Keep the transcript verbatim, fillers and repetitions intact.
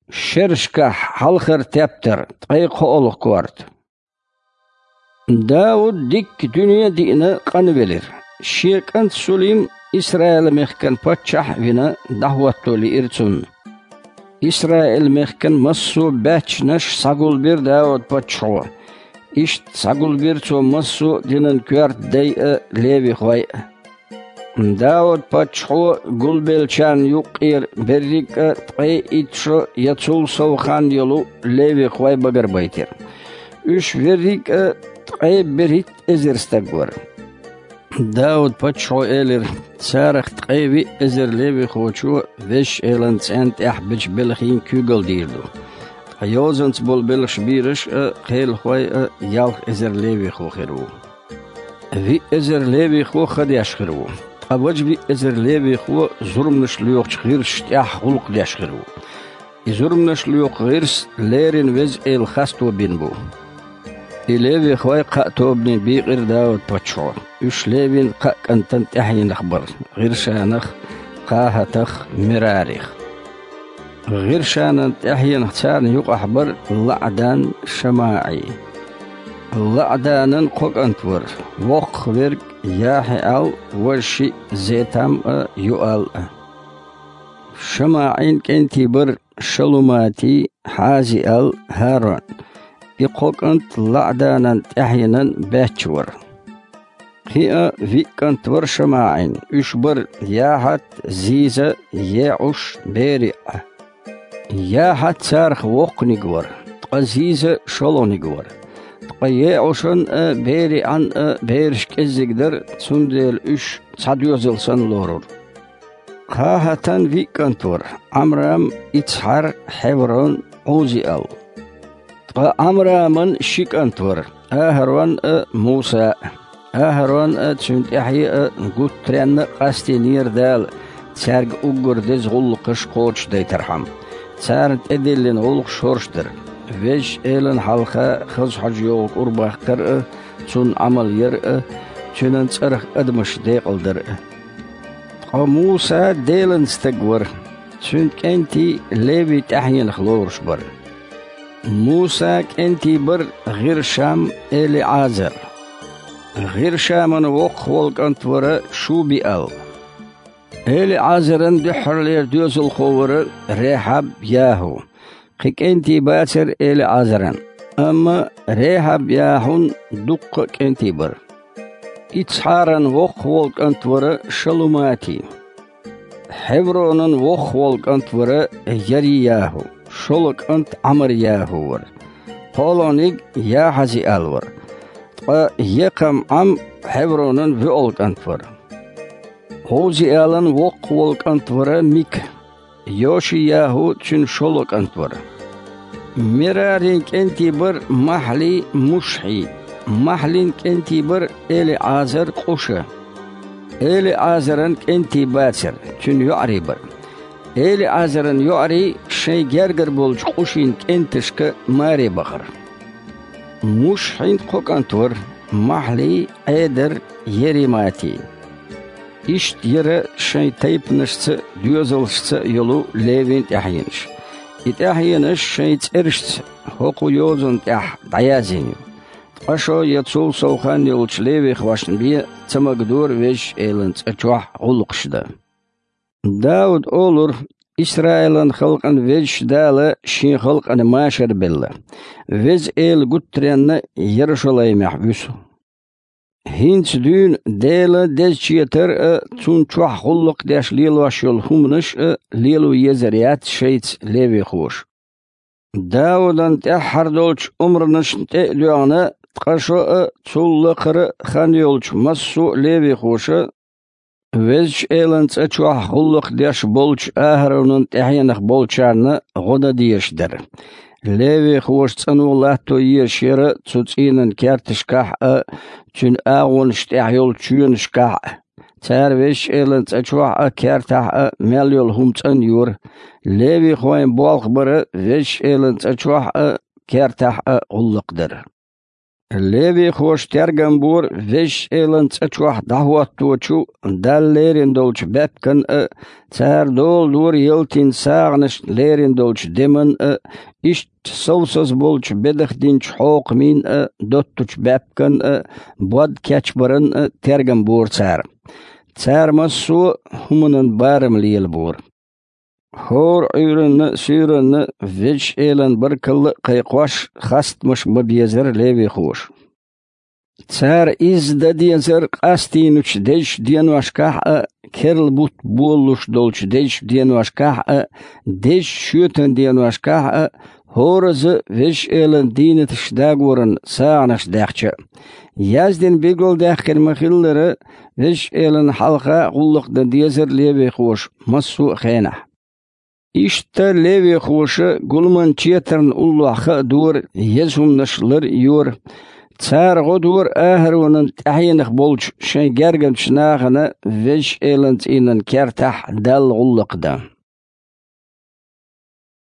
Шерашкахь хьалхара тептар, ткъе кхоалгӀа корта. Дауд дикка дуьне а диъна къанвелира. Шен кӀант Сулим Исраил-мехкан паччахь а вина, дӀахӀотто лиира цунна. Исраил-мехкан массо а баьччанаш схьагулбира Дауд-паччахьо. Иштта схьагулбира цо массо а динан коьрта дай а, левихой а. Дауд-паччахьо гулбеллачарна юккъера берриг а ткъе итт шо я цул сов хан йолу левихой багарбайтира. Уьш верриг а ткъе берхӀитта эзар стаг вара. Дауд-паччахьо элира: «Царах ткъе виъ эзар левихочо Везачу Элан цӀенна тӀехь бечу белхийн куьйгалла дийр ду. Ткъа йозанца болу белхаш бийраш а, кхелахой а ялх эзар левихо хир ву. Виъ эзар левихо ха деш хир ву, ткъа важа виъ эзар левихо зурманаш лоьхучу гӀирсаш тӀехь гӀуллакх деш хир ву. И зурманаш лоькху гӀирс леррина Веза Эла хасто бина бу». И левихой кхаа тобане бийкъира Дауд-паччахьо. Уьш Левин кхаа кӀантан тӀаьхьенах бара: ГӀиршанах, КхахӀатах, Мерарих. ГӀиршанан тӀаьхьенах царна юкъахь бара ЛаӀдан ШамаӀий. ЛаӀданан кхо кӀант вара: воккхах верг Яхьиал, важа шиъ Зетам а, Юал а. ШамаӀин кӀентий бара Шалуматий, Хьазиал, ХӀарон. И кхо кӀант ЛаӀданан тӀаьхьенан баьчча вара. Кхин а виъ кӀант вара ШамаӀин, уьш бара Яхьат, Зиза, ЕӀуш, БериӀа. Яхьат царах воккханиг вара, ткъа Зиза шолгӀаниг вара. Ткъа ЕӀушан а, БериӀан а бераш кӀеззиг дара, цундела уьш цхьа доьзал санна лорура. КхахӀатан виъ кӀант вара: Ӏамрам, Ицхьар, Хьеврон, Ӏузиал. Ткъа Ӏамраман ши кӀант вара: АхӀарон а, Муса а. АхӀарон а, цуьнан тӀаьхье а гуттаренна а къастийнера Дала, цаьрга уггар деза гӀуллакхаш кхочушдайтархьама. Царна тӀедиллина гӀуллакхаш хӀорш дара: Везачу Элана хьалха хаза хьожа йогӀу кӀур баккхар а, Цунна Ӏамал яр а, Цуьнан цӀарах адамаш декъалдар а. Ткъа Муса Делан стаг вара, цуьнан кӀентий Левин тӀаьхьенах лоруш бара. Мусан кӀентий бара ГӀиршам, ЭлиӀазар. ГӀиршаман воккхах волу кӀант вара Шубиал. ЭлиӀазаран дуьххьарлера доьзалхо вара Рехьаб-ЯхӀу. Кхин кӀентий бацара ЭлиӀазаран, амма Рехьаб-ЯхӀун дуккха а кӀентий бара. Ицхьаран воккхах волу кӀант вара Шалуматий. Хьевронан воккхах волу кӀант вара Яри-ЯхӀу, шолгӀа кӀант Ӏамар-ЯхӀу вара. КхоалгӀаниг Яхьазиал вара. Ткъа Екхам-Ӏам Хьевронан воьалгӀа кӀант вара. Ӏузиалан воккхах волу кӀант вара Мика. Йоши-ЯхӀу цуьнан шолгӀа кӀант вара. Мерарин кӀентий бара Махьлий, Мушхьий. Махьлин кӀентий бара ЭлиӀазар, Къуша. ЭлиӀазаран кӀентий бацара, цуьнан йоӀарий бара. ЭлиӀазаран йоӀарий шайн гергара болчу Къушин кӀенташка маре бахара. Мушхьин кхо кӀант вара: Махьлий, Ӏедар, Ериматий. Иштта яра шайн тайпанашца а, доьзалшца а йолу Левин тӀаьхьенаш. И тӀаьхьенаш шайн цӀерашца хӀокху йозанна тӀехь дӀаяздина ю. Ткъа шо я цул сов хан йолчу левихошна бен ца магадора Везачу Элан цӀа чохь гӀуллакхаш дан. Дауд олура: «Исраилан халкъан Везачу Дала Шен халкъана машар белла. Веза Эла гуттаренна Ярушалаймехь вуьсу. ХӀинца дуьйна Дела дезачу четар а, Цунна чохь гӀуллакх деш лелош йолу хӀуманаш а лело езар яц шайца левихоша». Даудан тӀаьххьара долчу омранашна тӀе а доьгӀна, ткъа шо а, цул лакхара а хан йолчу массо а левихоша Везачу Элан цӀа чохь гӀуллакх деш болчу АхӀаронан тӀаьхьенах болчарна гӀо дан дезаш дара. Левихоша цӀано латто езаш яра цу цӀийнан керташкахь а, цуьнан агӀонаш тӀехь йолчу чоьнашкахь а. Цара Везачу Элан цӀа чохь а, кертахь а мел йолу хӀума цӀанйора. Левихойн болх бара Везачу Элан цӀа чохь а, кертахь а гӀуллакх дар. Левихоша тергам бора Везачу Элан цӀа чохь дӀахӀотточу Далла лерина долчу баьпкан а, цара дола дора ялтин сагӀанаш лерина долчу деман а, иштта совсаза болчу бедах динчу хьокхамийн а, доттучу баьпкан а, бод кечбаран а тергам бора цара. Цара массо а хӀуманан барам лелабора. ХӀора Ӏуьйранна а, суьйранна а Везачу Элан баркалла а кхайкхош, хастамаш бан безара левихоша. Цара изза дан дезара къастийначу дезачу деношкахь а, керла бутт болалуш долчу дезачу деношкахь а, дезачу шоьтан деношкахь а, хӀоразза Везачу Элан дийнаташ дагоран сагӀанаш даьхча а. Яздина билгалдаьккхина ма-хиллара, Везачу Элана хьалха гӀуллакх дан дезара левихоша массо а хенахь. Иштта левихоша гуламан четарна уллохь хаа дора, еза хӀуманаш лар а йора. Цара гӀо дора АхӀаронан тӀаьхьенах болчу шайн гергарчу нахана Везачу Элан цӀийнан кертахь Далла гӀуллакх дан.